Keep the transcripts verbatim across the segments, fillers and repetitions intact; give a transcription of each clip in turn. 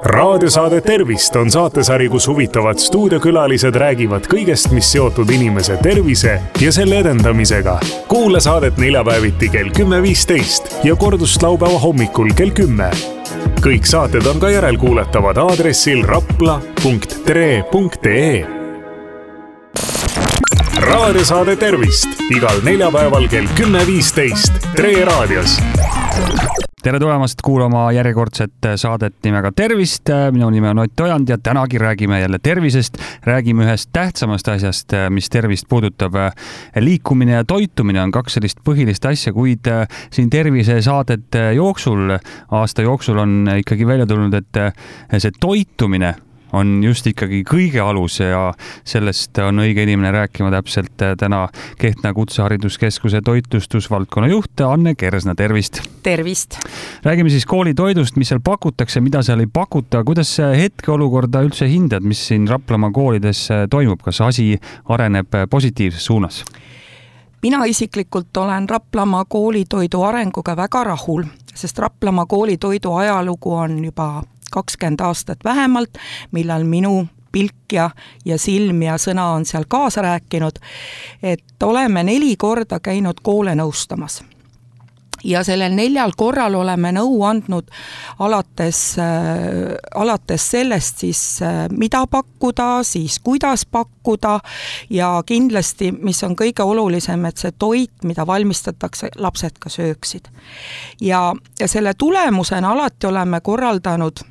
raadiosaade Tervist on saatesari, kus huvitavad stuudiokülalised räägivad kõigest, mis seotud inimese tervise ja selle edendamisega. Kuula saadet neljapäeviti kell kümme viisteist ja kordust laupäeva hommikul kell kümme. Kõik saated on ka järelkuuletavad aadressil rapla punkt tre punkt ee. Raadiosaade Tervist igal neljapäeval kell kümme viisteist Tre raadios. Tere tulemast kuulama järjekordset saadet nimega Tervist. Minu nime on Ott Ojand ja tänagi räägime jälle tervisest. Räägime ühest tähtsamast asjast, mis tervist puudutab. Liikumine ja toitumine on kaks sellist põhilist asja, kuid siin tervise saadet jooksul, aasta jooksul on ikkagi välja tulnud, et see toitumine on just ikkagi kõige alus ja sellest on õige inimene rääkima täpselt täna Kehtna Kutsehariduskeskuse toitlustusvaldkonna juht Anne Kersna. Tervist! Tervist! Räägime siis koolitoidust, mis seal pakutakse, mida seal ei pakuta. Kuidas hetkeolukorda üldse hindad, mis siin Raplamaa koolides toimub? Kas asi areneb positiivses suunas? Mina isiklikult olen Raplamaa koolitoidu arenguga väga rahul, sest Raplamaa koolitoidu ajalugu on juba kakskümmend aastat vähemalt, millal minu pilk ja, ja silm ja sõna on seal kaasa rääkinud, et oleme neli korda käinud koole nõustamas. Ja sellel neljal korral oleme nõu andnud alates, äh, alates sellest siis, äh, mida pakkuda, siis kuidas pakkuda ja kindlasti, mis on kõige olulisem, et see toit, mida valmistatakse, lapsed ka sööksid. Ja, ja selle tulemusena alati oleme korraldanud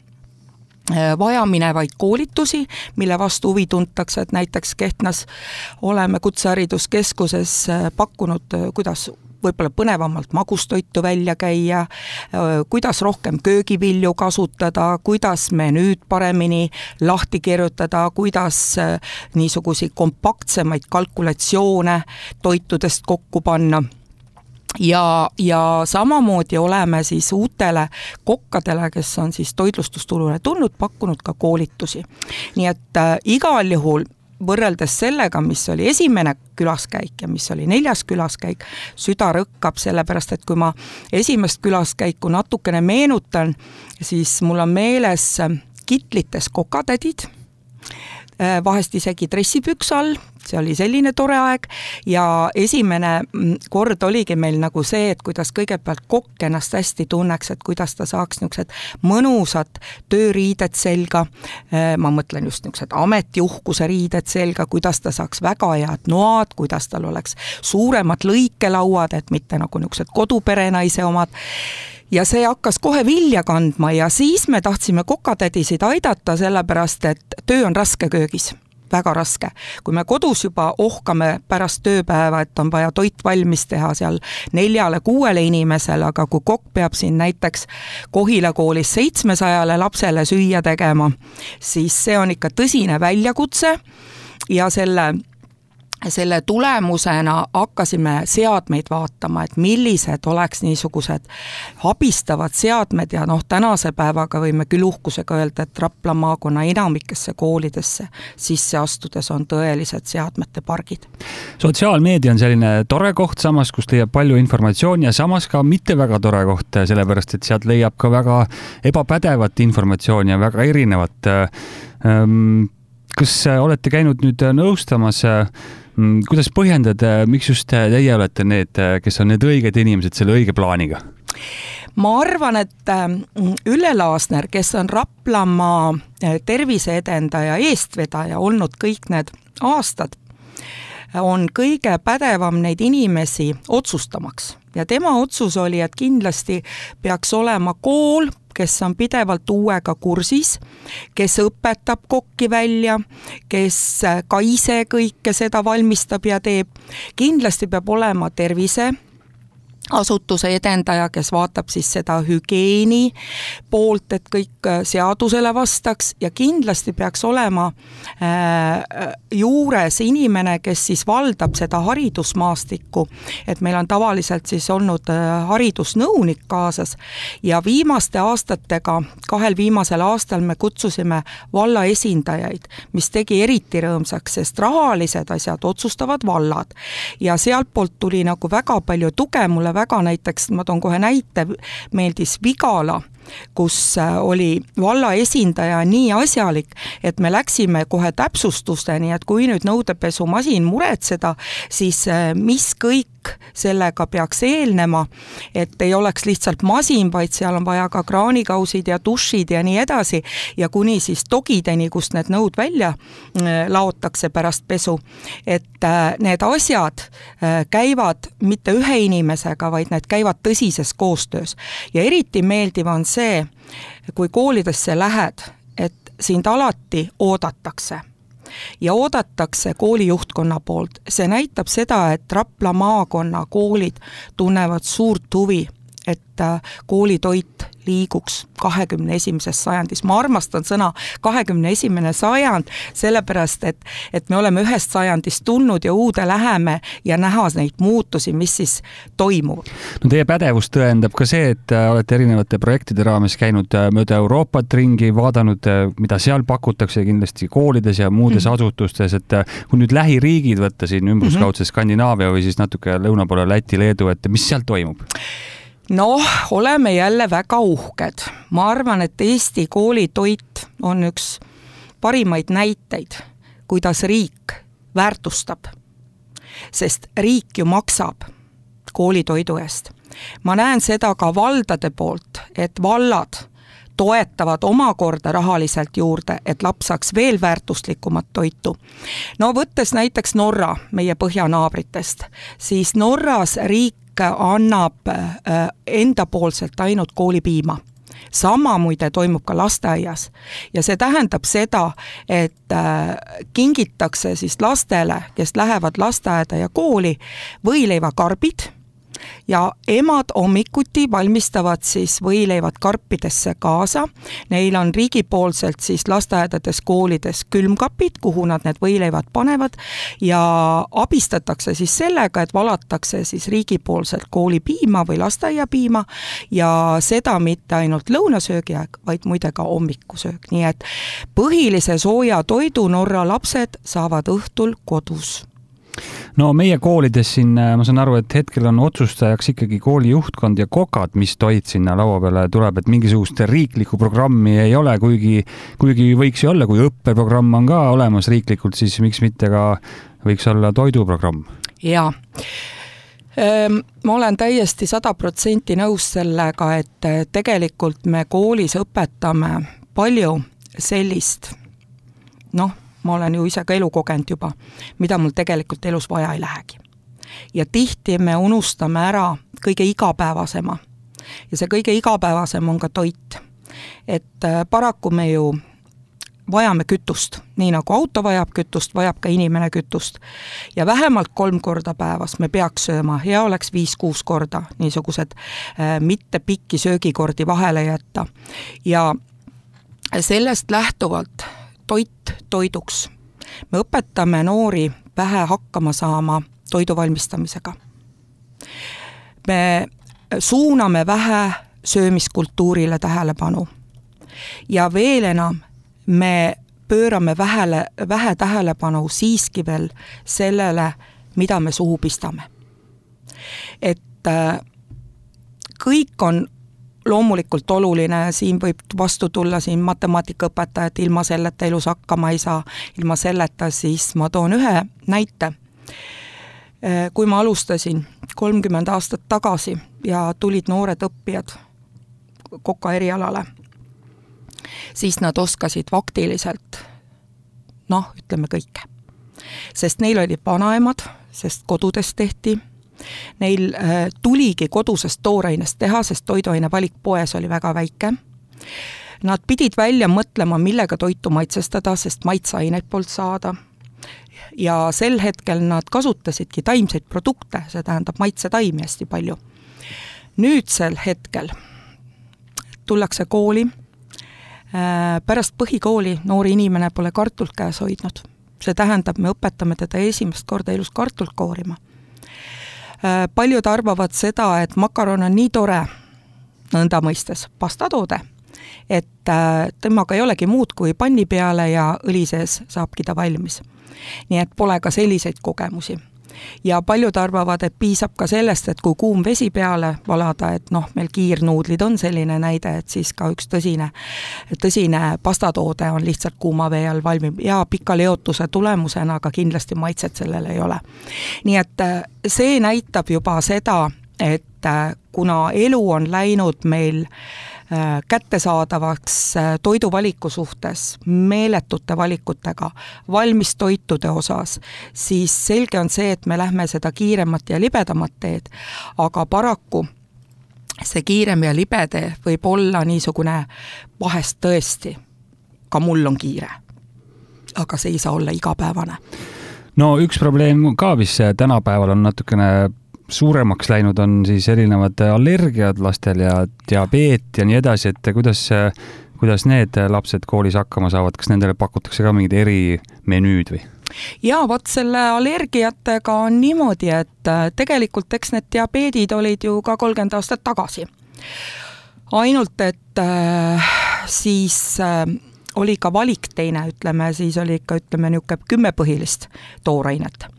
vajaminevaid koolitusi, mille vastu huvi tuntakse, et näiteks Kehtnas oleme Kutsehariduskeskuses pakkunud, kuidas võib-olla põnevamalt magustoitu välja käia, kuidas rohkem köögivilju kasutada, kuidas menüüd paremini lahti kirjutada, kuidas niisuguseid kompaktsemaid kalkulatsioone toitudest kokku panna. Ja, ja samamoodi oleme siis uutele kokkadele, kes on siis toitlustusturule tulnud, pakkunud ka koolitusi. Nii et äh, igal juhul võrreldes sellega, mis oli esimene külaskäik ja mis oli neljas külaskäik, süda rõkkab sellepärast, et kui ma esimest külaskäiku natukene meenutan, siis mul on meeles kitlites kokatädid, vahest isegi dressipüks all, see oli selline tore aeg ja esimene kord oligi meil nagu see, et kuidas kõigepealt kokk ennast hästi tunneks, et kuidas ta saaks niisugused mõnusad tööriided selga, ma mõtlen just niisugused ametiuhkuse riided selga, kuidas ta saaks väga head noad, kuidas tal oleks suuremad lõikelauad, et mitte nagu niisugused koduperenaise omad. Ja see hakkas kohe vilja kandma ja siis me tahtsime kokatädisid aidata, sellepärast, et töö on raske köögis, väga raske. Kui me kodus juba ohkame pärast tööpäeva, et on vaja toit valmis teha seal neljale, kuuele inimesele, aga kui kokk peab siin näiteks Kohila koolis seitsmesajale lapsele süüa tegema, siis see on ikka tõsine väljakutse ja selle Selle tulemusena hakkasime seadmeid vaatama, et millised oleks niisugused abistavad seadmed ja noh, tänase päevaga võime küll uhkusega öelda, et Rapla maakonna enamikesse koolidesse sisse astudes on tõelised seadmete pargid. Sotsiaalmeedia on selline tore koht samas, kus leiab palju informatsiooni ja samas ka mitte väga tore koht, sellepärast et sealt leiab ka väga ebapädevat informatsiooni ja väga erinevat. Kas olete käinud nüüd nõustamas, kuidas põhjendad, miks just teie olete need, kes on need õiged inimesed selle õige plaaniga? Ma arvan, et Ülle Laasner, kes on Raplamaa terviseedendaja eestvedaja olnud kõik need aastad, on kõige pädevam neid inimesi otsustamaks. Ja tema otsus oli, et kindlasti peaks olema kool, kes on pidevalt uuega kursis, kes õpetab kokki välja, kes ka ise kõike seda valmistab ja teeb. Kindlasti peab olema tervise asutuse edendaja, kes vaatab siis seda hügieeni poolt, et kõik seadusele vastaks ja kindlasti peaks olema äh, juures inimene, kes siis valdab seda haridusmaastikku, et meil on tavaliselt siis olnud äh, haridusnõunik kaasas ja viimaste aastatega, kahel viimasel aastal me kutsusime valla esindajaid, mis tegi eriti rõõmsaks, sest rahalised asjad otsustavad vallad ja sealt poolt tuli nagu väga palju tuge mulle väga näiteks, ma toon kohe näite, meeldis Vigala kus oli valla esindaja nii asjalik, et me läksime kohe täpsustusteni, et kui nüüd nõudepesumasin muretseda, siis mis kõik sellega peaks eelnema, et ei oleks lihtsalt masin, vaid seal on vaja ka kraanikausid ja dušid ja nii edasi ja kuni siis dogideni, kust need nõud välja laotakse pärast pesu, et need asjad käivad mitte ühe inimesega, vaid need käivad tõsises koostöös. Ja eriti meeldiv on see, kui koolidesse lähed, et sind alati oodatakse. Ja oodatakse kooli juhtkonna poolt. See näitab seda, et Rapla maakonna koolid tunnevad suurt huvi, et koolitoit liiguks kahekümne esimeses sajandis. Ma armastan sõna kahekümne esimene sajand, sellepärast, et, et me oleme ühest sajandist tulnud ja uude läheme ja näha neid muutusi, mis siis toimuvad. No teie pädevus tõendab ka see, et olete erinevate projektide raames käinud mööda Euroopat ringi, vaadanud, mida seal pakutakse kindlasti koolides ja muudes mm-hmm. asutustes, et kui nüüd lähiriigid võtta siin ümbruskaudse mm-hmm. Skandinaavia või siis natuke lõuna poole Läti, Leedu, et mis seal toimub? Noh, oleme jälle väga uhked. Ma arvan, et Eesti koolitoit on üks parimaid näiteid, kuidas riik väärtustab. Sest riik ju maksab koolitoidu eest. Ma näen seda ka valdade poolt, et vallad toetavad omakorda rahaliselt juurde, et laps saaks veel väärtuslikumat toitu. No võttes näiteks Norra, meie põhjanaabritest, siis Norras riik annab endapoolselt ainult koolipiima. Sama muide toimub ka lasteaias ja see tähendab seda, et kingitakse siis lastele, kes lähevad lasteaeda ja kooli, võileivakarbid ja emad hommikuti valmistavad siis võileivad karpidesse kaasa. Neil on riigipoolselt siis lasteaedades, koolides külmkapid, kuhu nad need võileivad panevad ja abistatakse siis sellega, et valatakse siis riigipoolselt koolipiima või lasteaiapiima ja seda mitte ainult lõunasöögi aeg, vaid muide ka hommikusöög. Nii et põhilise sooja toidu Norra lapsed saavad õhtul kodus. No meie koolides siin, ma saan aru, et hetkel on otsustajaks ikkagi kooli juhtkond ja kokad, mis toit sinna laua peale tuleb, et mingisugust riiklikku programmi ei ole, kuigi, kuigi võiks ju olla, kui õppeprogramm on ka olemas riiklikult, siis miks mitte ka võiks olla toiduprogramm? Jaa. Ma olen täiesti sada protsenti nõus sellega, et tegelikult me koolis õpetame palju sellist, noh, ma olen ju ise ka elu kogenud juba, mida mul tegelikult elus vaja ei lähegi. Ja tihti me unustame ära kõige igapäevasema. Ja see kõige igapäevasem on ka toit. Et paraku me ju vajame kütust. Nii nagu auto vajab kütust, vajab ka inimene kütust. Ja vähemalt kolm korda päevas me peaks sööma. Hea oleks viis-kuus korda niisugused äh, mitte pikki söögikordi vahele jätta. Ja sellest lähtuvalt toit toiduks. Me õpetame noori vähe hakkama saama toidu valmistamisega. Me suuname vähe söömiskultuurile tähelepanu. Ja veel enam, me pöörame vähele, vähe tähelepanu siiski veel sellele, mida me suhu pistame. Et kõik on loomulikult oluline, siin võib vastu tulla siin matemaatikaõpetaja, et ilma selleta elus hakkama ei saa, ilma selleta siis ma toon ühe näite. Kui ma alustasin kolmkümmend aastat tagasi ja tulid noored õppijad koka erialale, siis nad oskasid faktiliselt, noh, ütleme kõike. Sest neil olid vanaemad, sest kodudes tehti, neil äh, tuligi kodusest tooreinest teha, sest toiduaine valik poes oli väga väike. Nad pidid välja mõtlema, millega toitu maitsestada, sest maitseaineid polnud saada. Ja sel hetkel nad kasutasidki taimseid produkte, see tähendab maitsetaimi hästi palju. Nüüd sel hetkel tullakse kooli, äh, pärast põhikooli noori inimene pole kartult käes hoidnud. See tähendab, me õpetame teda esimest korda elus kartult koorima. Paljud arvavad seda, et makaron on nii tore, nõnda mõistes pastatoode, et temaga ei olegi muud kui panni peale ja õli sees saabki ta valmis. Nii et pole ka selliseid kogemusi. ja paljud arvavad, et piisab ka sellest, et kui kuum vesi peale valada, et noh, meil kiirnuudlid on selline näide, et siis ka üks tõsine, tõsine pastatoode on lihtsalt kuuma vee all valmib ja pika leotuse tulemusena, aga kindlasti maitset sellel ei ole. Nii et see näitab juba seda, et kuna elu on läinud meil kättesaadavaks toiduvaliku suhtes, meeletute valikutega, valmis toitude osas, siis selge on see, et me lähme seda kiiremat ja libedamat teed, aga paraku see kiirem ja libede võib olla niisugune vahest tõesti, ka mul on kiire, aga see ei saa olla igapäevane. No üks probleem ka, mis tänapäeval on natukene suuremaks läinud, on siis erinevad allergiad lastel ja diabeet ja nii edasi, et kuidas, kuidas need lapsed koolis hakkama saavad, kas nendele pakutakse ka mingid erimenüüd või? Ja vot selle allergiatega on niimoodi, et tegelikult eks need diabeedid olid ju ka kolmkümmend aastat tagasi. Ainult, et äh, siis äh, oli ka valik teine, ütleme, siis oli ikka, ütleme, niisugune kümme põhilist toorainet.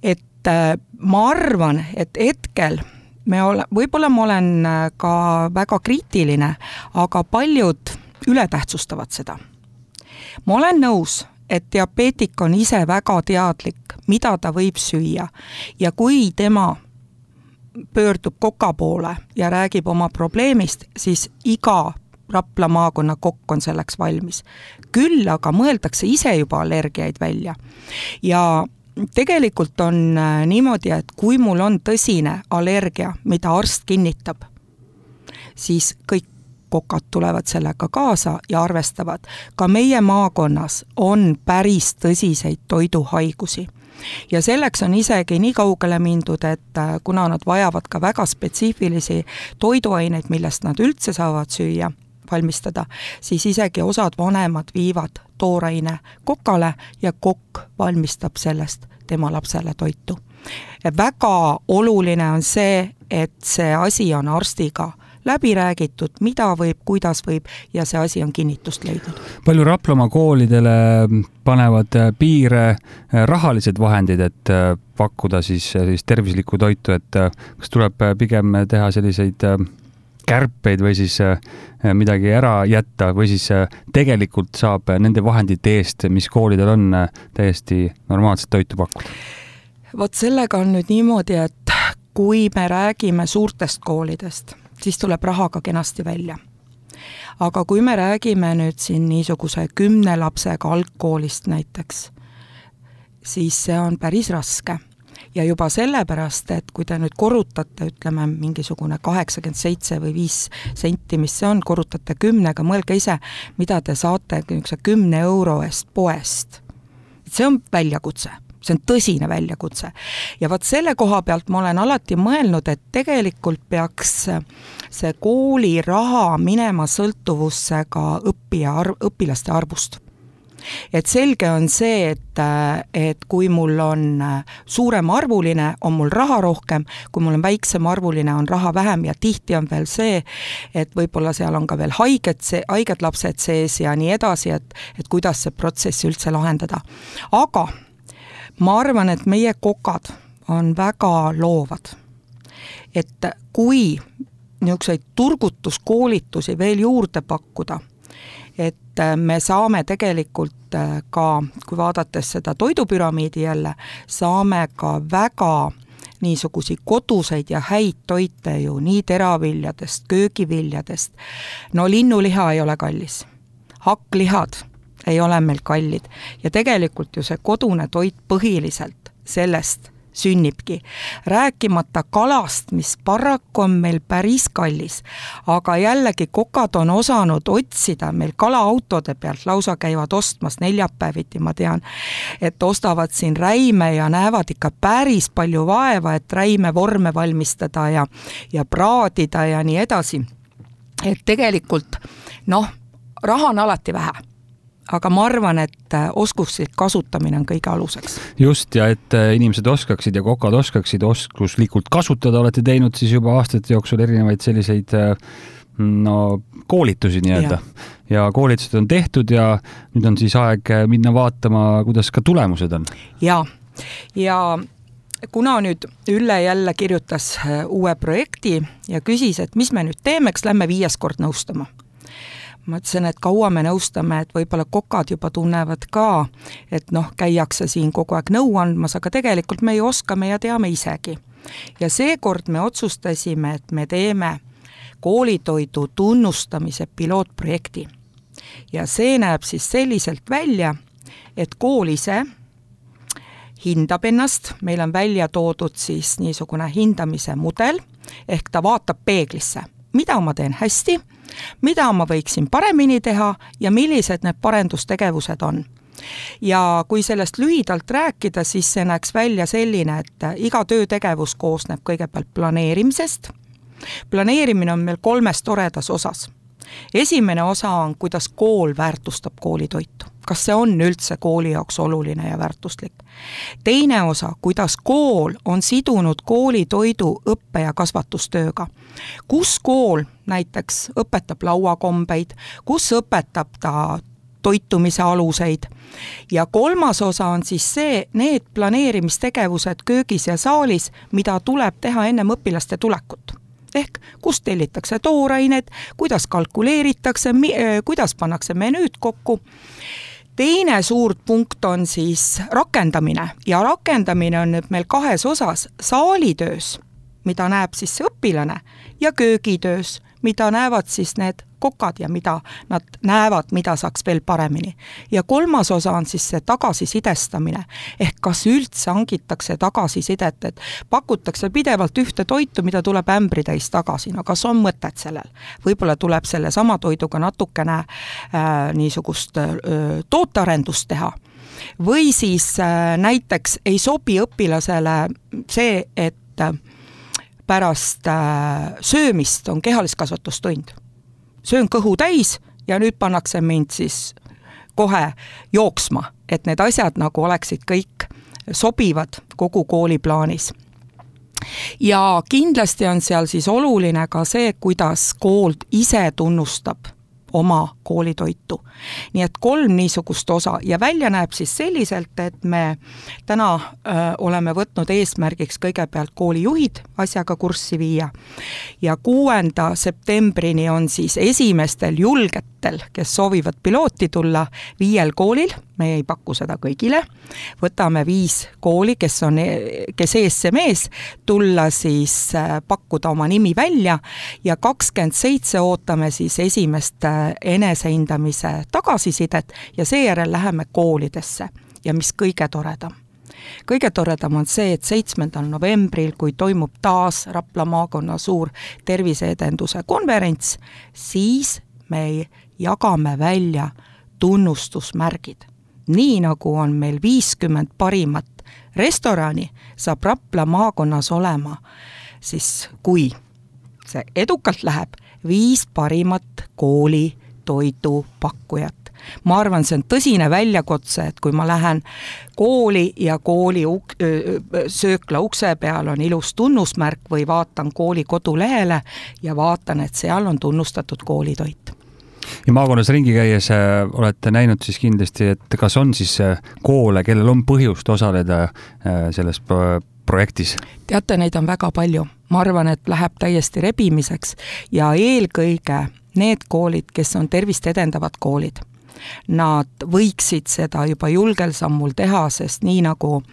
Et ma arvan, et hetkel me ole, võib-olla ma olen ka väga kriitiline, aga paljud ületähtsustavad seda. Ma olen nõus, et diabeetik on ise väga teadlik, mida ta võib süüa ja kui tema pöördub koka poole ja räägib oma probleemist, siis iga Rapla maakonna kokk on selleks valmis. Küll aga mõeldakse ise juba allergiaid välja ja tegelikult on niimoodi, et kui mul on tõsine allergia, mida arst kinnitab, siis kõik kokad tulevad sellega kaasa ja arvestavad. Ka meie maakonnas on päris tõsiseid toiduhaigusi. Ja selleks on isegi nii kaugele mindud, et kuna nad vajavad ka väga spetsiifilisi toiduaineid, millest nad üldse saavad süüa, valmistada, siis isegi osad vanemad viivad tooraine kokale ja kokk valmistab sellest tema lapsele toitu. Ja väga oluline on see, et see asi on arstiga läbi räägitud, mida võib, kuidas võib ja see asi on kinnitust leidnud. Palju Raplamaa koolidele panevad piire rahalised vahendid, et pakkuda siis, siis tervislikku toitu, et kas tuleb pigem teha selliseid kärpeid või siis midagi ära jätta või siis tegelikult saab nende vahendite eest, mis koolidel on, täiesti normaalset toitu pakkuda? Vot sellega on nüüd niimoodi, et kui me räägime suurtest koolidest, siis tuleb rahaga kenasti välja. Aga kui me räägime nüüd siin niisuguse kümne lapsega algkoolist näiteks, siis see on päris raske. Ja juba sellepärast, et kui te nüüd korrutate, ütleme, mingisugune kaheksakümmend seitse või viis senti, mis see on, korrutate kümnega, mõelge ise, mida te saate kümne euro eest poest. See on väljakutse, see on tõsine väljakutse. Ja vaat selle koha pealt ma olen alati mõelnud, et tegelikult peaks see kooli raha minema sõltuvusse ka õppija, õpilaste arvust. Et selge on see, et, et kui mul on suurem arvuline, on mul raha rohkem, kui mul on väiksem arvuline, on raha vähem ja tihti on veel see, et võib-olla seal on ka veel haiged, haiged lapsed sees ja nii edasi, et, et kuidas see protsess üldse lahendada. Aga ma arvan, et meie kokad on väga loovad. Et kui niisuguseid turgutuskoolitusi veel juurde pakkuda, et me saame tegelikult ka, kui vaadates seda toidupüramiidi jälle, saame ka väga niisugusi koduseid ja häid toite ju nii teraviljadest, köögiviljadest. No linnuliha ei ole kallis. Hakklihad ei ole meil kallid. Ja tegelikult ju see kodune toit põhiliselt sellest sünnibki. Rääkimata kalast, mis paraku on meil päris kallis, aga jällegi kokad on osanud otsida meil kalaautode pealt, lausa käivad ostmas neljapäeviti, ma tean, et ostavad siin räime ja näevad ikka päris palju vaeva, et räime vorme valmistada ja, ja praadida ja nii edasi. Et tegelikult, noh, raha on alati vähe. Aga ma arvan, et oskuslik kasutamine on kõige aluseks. Just, ja et inimesed oskaksid ja kokad oskaksid oskuslikult kasutada, olete teinud siis juba aastate jooksul erinevaid selliseid no, koolitusi nii-öelda. Ja. ja koolitused on tehtud ja nüüd on siis aeg minna vaatama, kuidas ka tulemused on. Ja, ja kuna nüüd Ülle jälle kirjutas uue projekti ja küsis, et mis me nüüd teeme, eks lähme viies kord nõustama. Ma ütlesin, et kaua me nõustame, et võib-olla kokad juba tunnevad ka, et noh, käiakse siin kogu aeg nõu andmas, aga tegelikult me ei oska, me ja teame isegi. Ja seekord me otsustasime, et me teeme koolitoidu tunnustamise pilootprojekti. Ja see näeb siis selliselt välja, et kool ise hindab ennast, meil on välja toodud siis niisugune hindamise mudel, ehk ta vaatab peeglisse, mida ma teen hästi, mida ma võiksin paremini teha ja millised need parendustegevused on. Ja kui sellest lühidalt rääkida, siis see näeks välja selline, et iga töötegevus koosneb kõigepealt planeerimisest. Planeerimine on meil kolmes toredas osas. Esimene osa on, kuidas kool väärtustab koolitoitu. Kas see on üldse kooli jaoks oluline ja väärtuslik? Teine osa, kuidas kool on sidunud koolitoidu õppe- ja kasvatustööga. Kus kool näiteks õpetab lauakombeid, kus õpetab ta toitumise aluseid. Ja kolmas osa on siis see, need planeerimistegevused köögis ja saalis, mida tuleb teha ennem õpilaste tulekut. Ehk kus tellitakse toorained, kuidas kalkuleeritakse, kuidas pannakse menüüd kokku. Teine suur punkt on siis rakendamine ja rakendamine on nüüd meil kahes osas, saalitöös, mida näeb siis see õpilane, ja köögitöös, mida näevad siis need kokad ja mida nad näevad, mida saaks veel paremini. Ja kolmas osa on siis see tagasisidestamine, ehk kas üldse hangitakse tagasisidet, et pakutakse pidevalt ühte toitu, mida tuleb ämbri täis tagasi, no kas on mõtet sellel? Võib-olla tuleb selle sama toiduga natukene äh, niisugust äh, tootearendust teha. Või siis äh, näiteks ei sobi õpilasele see, et äh, pärast äh, söömist on kehaliskasvatustund. Söön kõhu täis ja nüüd pannakse mind siis kohe jooksma, et need asjad nagu oleksid kõik sobivad kogu kooli plaanis. Ja kindlasti on seal siis oluline ka see, kuidas kool ise tunnustab oma koolitoitu. Nii et kolm niisugust osa ja välja näeb siis selliselt, et me täna öö, oleme võtnud eesmärgiks kõigepealt koolijuhid asjaga kurssi viia ja kuuenda septembrini on siis esimestel julgetel, kes soovivad pilooti tulla viiel koolil, me ei paku seda kõigile, võtame viis kooli, kes on, kes eesse mees, tulla siis pakkuda oma nimi välja ja kakskümmend seitse ootame siis esimest enesehindamise tagasisidet ja seejärel läheme koolidesse ja mis kõige toredam. Kõige toredam on see, et seitsmendal novembril, kui toimub taas Rapla maakonna suur terviseedenduse konverents, siis me jagame välja tunnustusmärgid. Nii nagu on meil viiskümmend parimat restorani, saab Rapla maakonnas olema, siis kui see edukalt läheb, viis parimat kooli toidu pakkujat. Ma arvan, see on tõsine väljakutse, et kui ma lähen kooli ja kooli uk- söökla ukse peal on ilus tunnusmärk või vaatan kooli kodulehele ja vaatan, et seal on tunnustatud koolitoit. Ja maakonnas ringi käies olete näinud siis kindlasti, et kas on siis koole, kellel on põhjust osaleda selles projektis? Teate, neid on väga palju. Ma arvan, et läheb täiesti rebimiseks ja eelkõige need koolid, kes on tervist edendavad koolid. Nad võiksid seda juba julgel sammul teha, sest nii nagu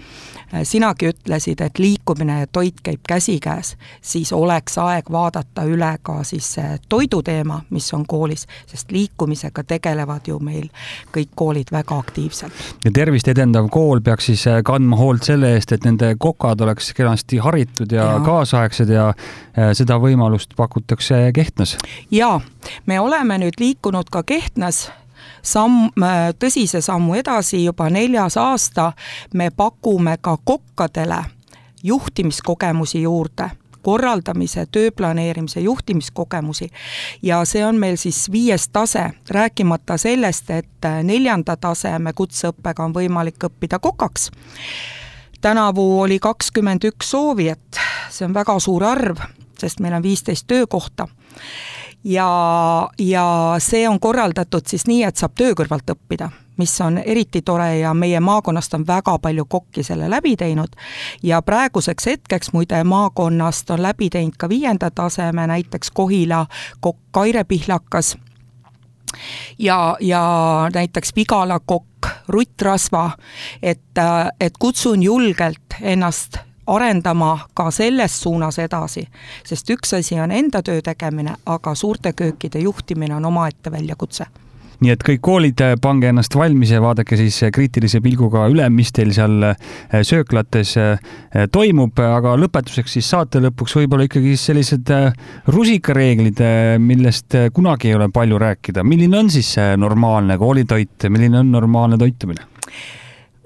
sinagi ütlesid, et liikumine ja toit käib käsikäes, siis oleks aeg vaadata üle ka siis toiduteema, mis on koolis, sest liikumisega tegelevad ju meil kõik koolid väga aktiivselt. Ja tervist edendav kool peaks siis kandma hoolt selle eest, et nende kokad oleks kenasti haritud ja, ja. kaasaegsed ja seda võimalust pakutakse Kehtnas. Ja, me oleme nüüd liikunud ka Kehtnas Samm, tõsise sammu edasi, juba neljas aasta me pakume ka kokkadele juhtimiskogemusi juurde, korraldamise, tööplaneerimise, juhtimiskogemusi ja see on meil siis viies tase, rääkimata sellest, et neljanda taseme kutseõppega on võimalik õppida kokaks. Tänavu oli kakskümmend üks soovijat, see on väga suur arv, sest meil on viisteist töökohta. ja, ja see on korraldatud siis nii, et saab töö kõrvalt õppida, mis on eriti tore ja meie maakonnast on väga palju kokki selle läbi teinud ja praeguseks hetkeks muide maakonnast on läbi teinud ka viienda taseme, näiteks Kohila kokk Kaire Pihlakas ja, ja näiteks Vigala kokk Rutt Rasva, et, et kutsun julgelt ennast arendama ka selles suunas edasi, sest üks asi on enda töö tegemine, aga suurte köökide juhtimine on omaette väljakutse. Nii et kõik koolid, pange ennast valmis ja vaadake siis kriitilise pilguga üle, mis teil seal sööklates toimub, aga lõpetuseks siis saate lõpuks võib-olla ikkagi sellised rusikareeglid, millest kunagi ei ole palju rääkida. Milline on siis normaalne koolitoit, milline on normaalne toitumine?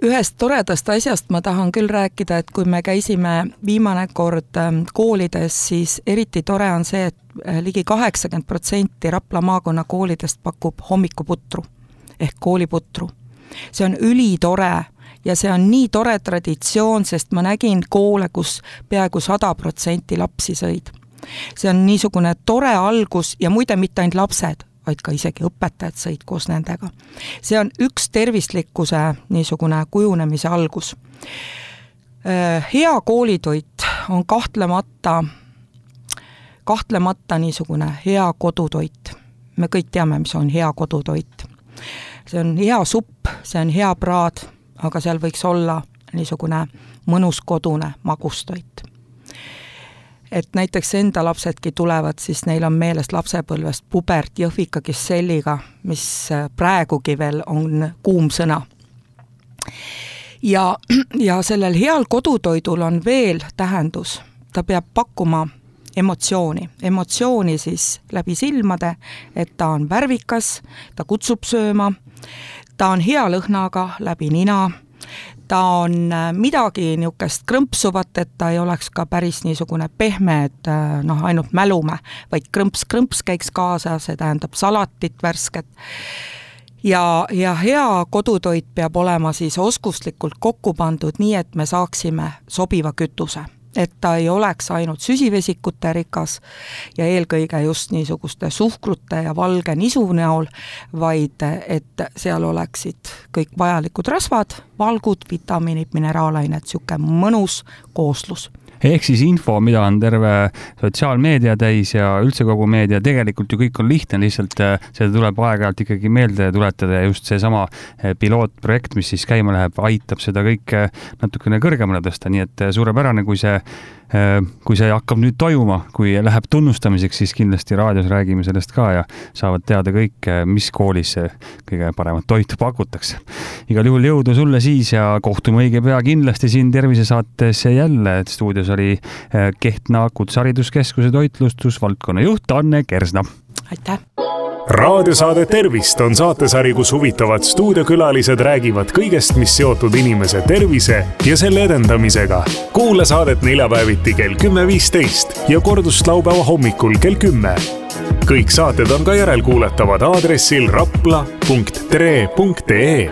Ühest toredast asjast ma tahan küll rääkida, et kui me käisime viimane kord koolides, siis eriti tore on see, et ligi kaheksakümmend protsenti Rapla maakonna koolidest pakub hommikuputru ehk kooliputru. See on ülitore ja see on nii tore traditsioon, sest ma nägin koole, kus peaaegu sada protsenti lapsi sõid. See on niisugune tore algus ja muide mitte ainult lapsed, vaid ka isegi õpetajad sõid koos nendega. See on üks tervislikkuse niisugune kujunemise algus. Hea koolitoit on kahtlemata, kahtlemata niisugune hea kodutoit. Me kõik teame, mis on hea kodutoit. See on hea supp, see on hea praad, aga seal võiks olla niisugune mõnus kodune magustoit. Et näiteks enda lapsedki tulevad, siis neil on meelest lapsepõlvest pubert jõhvika kisselliga, mis praegugi veel on kuum sõna. Ja, ja sellel heal kodutoidul on veel tähendus. Ta peab pakkuma emotsiooni. Emotsiooni siis läbi silmade, et ta on värvikas, ta kutsub sööma, ta on hea lõhnaga läbi nina, ta on midagi niukest krõmpsuvat, et ta ei oleks ka päris niisugune pehme, et noh, ainult mälume, vaid krõmps-krõmps käiks kaasa, see tähendab salatit värsket. Ja, ja hea kodutoit peab olema siis oskuslikult kokku pandud nii, et me saaksime sobiva kütuse. Et ta ei oleks ainult süsivesikute rikas ja eelkõige just niisuguste suhkrute ja valge nisu näol, vaid et seal oleksid kõik vajalikud rasvad, valgud, vitamiinid, mineraalained, siuke mõnus kooslus. Ehk siis info, mida on terve sotsiaalmeedia täis ja üldse kogu meedia, tegelikult ju kõik on lihtne, lihtsalt seda tuleb aeg-ajalt ikkagi meelde tuletada ja just see sama pilootprojekt, mis siis käima läheb, aitab seda kõik natukene kõrgemale tõsta, nii et suurepärane, kui see kui see hakkab nüüd toimuma, kui läheb tunnustamiseks, siis kindlasti raadios räägime sellest ka ja saavad teada kõik, mis koolis kõige paremat toitu pakutakse. Igal juhul jõudu sulle siis ja kohtume õige pea kindlasti siin tervisesaates jälle, et stuudios oli Kehtna Kutsehariduskeskuse toitlustusvaldkonna juht Anne Kersna. Aitäh! Raadiosaade Tervist on saatesari, kus huvitavad stuudiokülalised räägivad kõigest, mis seotud inimese tervise ja selle edendamisega. Kuula saadet neljapäeviti kell kümme viisteist ja kordust laupäeva hommikul kell kümme. Kõik saated on ka järelkuulatavad aadressil rapla punkt tre punkt ee.